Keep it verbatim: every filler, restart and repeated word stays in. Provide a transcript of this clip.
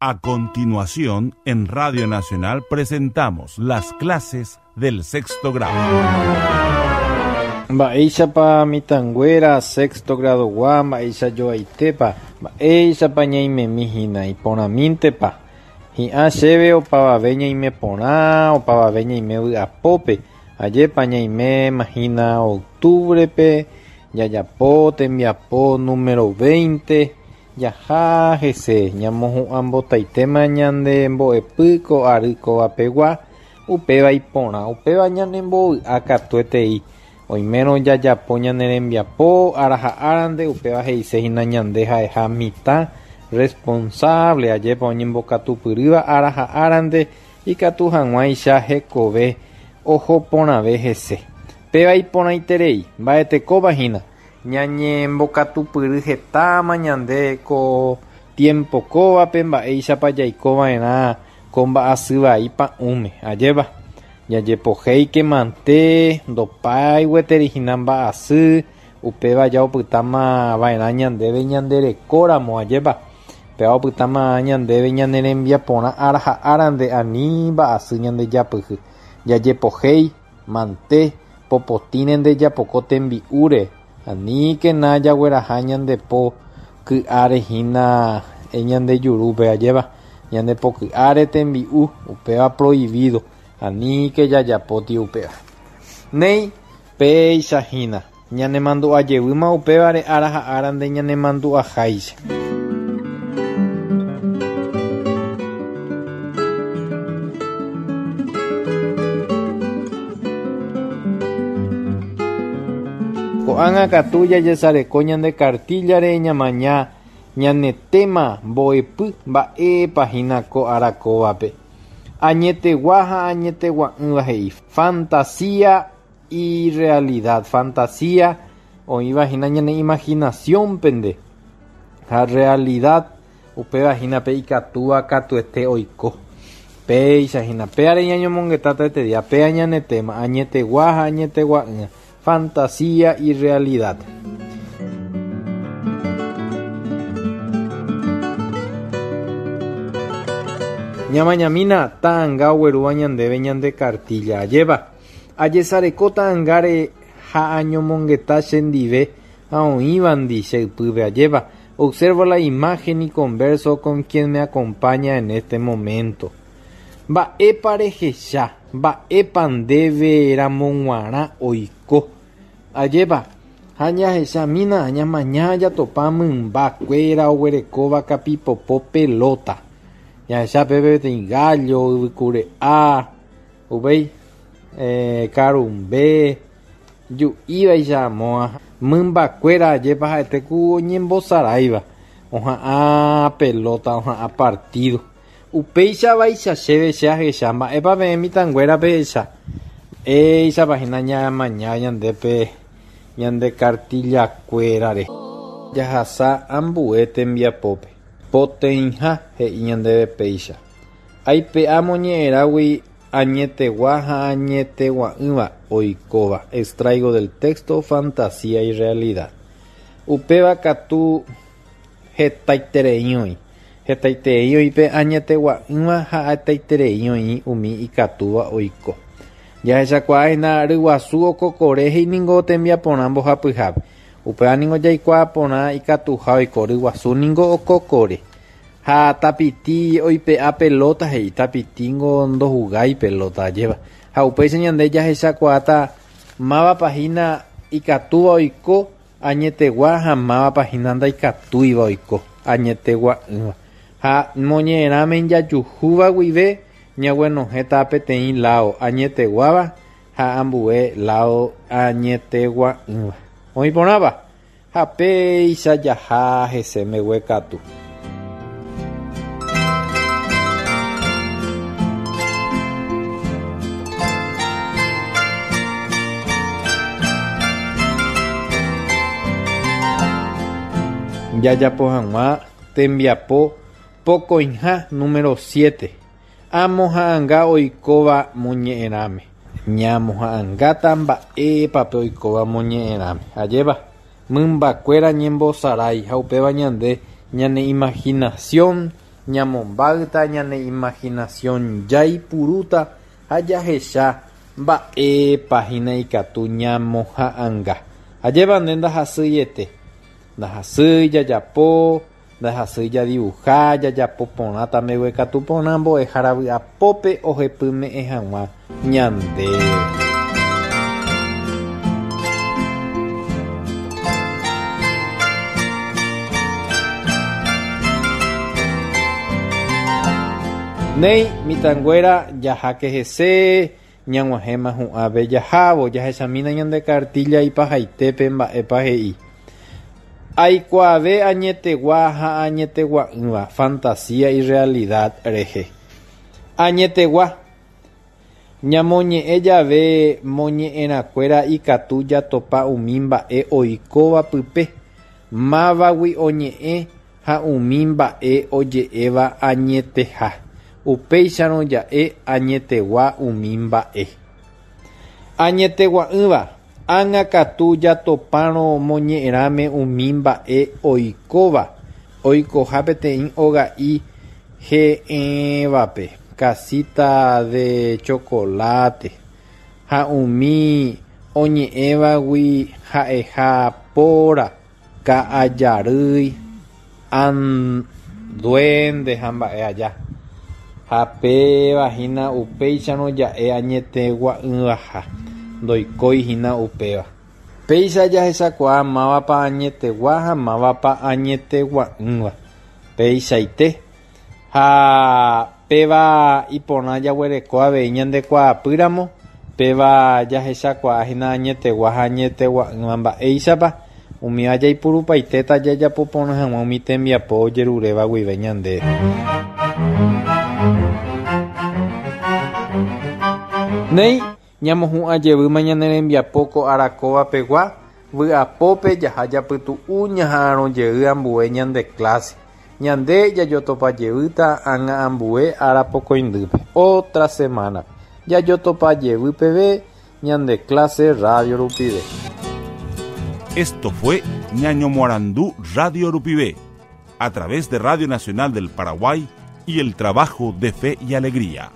A continuación, en Radio Nacional presentamos las clases del sexto grado. Mba'éichapa mitãnguéra sexto gradogua, mba'eichajoaitépa, mba'éichapa ñaimemíhína iporãmíntepa. Hi'ã chéve opavave ñaime porã, opavave ñaime vy'apópe, ajépa ñaimémahína octubrepe, jajapo tembiapo número veinte, jaha hese, ñamohu'ãmbotaitéma ñande mbo'epy ko ary kovapegua, upéva iporã, upéva ñanembovy'a katuetei. Oimérõ jajapo ñane rembiapo ára ha árante, upéva he'isehína ñande ha'eha mitã responsable, ajépa oñembokatupyrýva ára ha árante ikatu hag̃uáicha hekove oho porãve hese. Péva iporãiterei, mba'etekóvahína ñañembokatupyry hetáma ñande ko tiempo kóvape mba'éichapa jaikova'erã ko mba'asy vai pa'ũme, ajépa. Jajepohéike mante ndopái gueterihína mba'asy, upéva jaopytáma va'erã ñandéve ñanderekóramo, ajépa. Péva opytáma ñandéve ñane rembiaporã ára ha árante ani mba'asy ñandejapyhy. Jajepohéi mante popotĩre ndejapoko tembi'úre, aníkena jagueraha ñandepo ky'árehína ñandejurúpe, ajépa. Ñandepo ky'áre tembi'u, upéva prohibido. Aníke jajapóti upéva. Néi péichahína ñanemandu'ajevýma upévare ára ha árante ñanemandu'aháicha. Ko'ág̃a katu jajesareko ñande cartillare ñamaña ñane tema mbo'epy mba'épahína ko ára kóvape. Añetegua ha añetegua'ỹva he'i fantasía y realidad. Fantasía oĩvahína ñane imaginación pende ha realidad upévahína pe ikatúva katuete oiko. Péichahína péare ñañomongetáta este día, péa ñane tema añetegua ha añetegua'ỹva, fantasía y realidad. Ñamañamína ta'anga oguerúva ñandéve ñande cartilla, ajépa. Ajesareko ta'angáre ha añomongeta chendive ha oĩvandi che ypýpe, ajépa. Observo la imagen y converso con quien me acompaña en este momento. Mba'épa rehecha, mba'épa ndéve ramog̃uarã oiko, ajépa. Ha ñahechamína ñamaña jatopa mymbakuéra oguerekóva kapipopo pelota. Jahecha pépe peteĩ gallo, yvykure'a, upéi eh, karumbe, ju'ívaicha amóa. Mymbakuéra ajépa ha'ete ku oñembosaráiva, oha'ã pelota, oha'ã partido. Upéichavaicha chéve che ahecha, mba'épa peẽ mitãnguéra pehecha. Éichapahína ñamaña ñandépe ñande cartillakuérare. Jahasa ambue tembiapópe. Poteĩha he'i ñandéve péicha. Aipe'a moñe'ẽrãgui añetegua ha añetegua'ỹva oikóva. Extraigo del texto fantasía y realidad. Upéva katu hetaiterei oĩ. Hetaiterei oĩ pe añetegua'ỹva ha hetaiterei oĩ umi ikatúva oiko. Jahechakuaáhína ryguasu okokore he'i tembiaporã mbohapyhápe. Upéva ningo jaikuaa porã ikatuha oiko ryguasu ningo okokore. Ha tapiti oipe'a pelota he'i, tapitíngo ndohugái pelota, ajépa. Ha upéicha ñande jahechakuaáta mávapahína ikatúva oiko añetegua ha mávapahína ndaikatúiva oiko añetegua'ỹva. Ha moñe'ẽrãme jajuhúva guive ñaguenohẽta peteĩ lao añeteguáva ha ambue lao añetegua'ỹva. Oĩporãva ha péicha jaha hese mbeguekatu. Jajapo hag̃ua tembiapo pokõiha número siete. Amoha'ãnga oikóva moñe'ẽrãme. Ñamoha'ãngáta mba'épape oikóva moñe'ẽrãme, ajépa. Mymbakuéra ñembosarái ha upéva ñande ñane imaginación Ñamombáyta ñane imaginación jaipurúta ha jahecha mba'épa hína ikatu ñamoha'ãnga. Ajépa nde ndahasýiete. Ndahasýi jajapo, ndahasýi jadibuha, jajapo porãta mbeguekatu porã mbo'ehára vy'apópe ohepyme'ẽ hag̃ua ñandéve. Néi mitãnguéra jaháke hese ñag̃uahẽma hu'ãve jahávo jahechamína ñande cartilla ipahaitépe mba'épa he'i. Aikuaave añetegua ha añetegua'ỹva fantasía y realidad rehe. Añetegua ñamoñe'ẽ jave moñe'ẽrãkuéra ikatu jatopa umi mba'e oikóva pype, mávagui oñe'ẽ ha umi mba'e oje'éva añeteha. Upéicharõ ja'e añetegua umi mba'e. Añetegua'ỹva ág̃a katu jatopárõ moñe'ẽrãme umi mba'e oikóva oikoha peteĩ oga'i he'ẽvape casita de chocolate ha umi oñe'ẽvagui ha'eha póra, ka'ajarýi, duende ha mba'e aja. Ha péva hína upéicharõ ja'e añetegua'ỹvaha ndoikóihína upéva. Péicha jahechakuaa mávapa añetegua ha mávapa añetegua'ỹva. Peichaite ha péva iporã jaguereko avei ñandekuaapýramo, péva jahechakuaahína añetegua ha añetegua'ỹva mba'éichapa umi jaipurupaitéta jajapo porã hag̃ua umi tembiapo ojeruréva guive ñandéve. Néi ñamohu'ã jevýma ñane rembiapo ko arakóva pegua vy'apópe jaha japytu'u ñaha'arõ jey ambue ñande clase. Ñande jajotopa jevýta ág̃a ambue arapokõindýpe. Otra semana. Jajotopa jevy peve ñande clase radio rupive. Esto fue Ñañomoarandú Radio Rupive, a través de Radio Nacional del Paraguay y el trabajo de Fe y Alegría.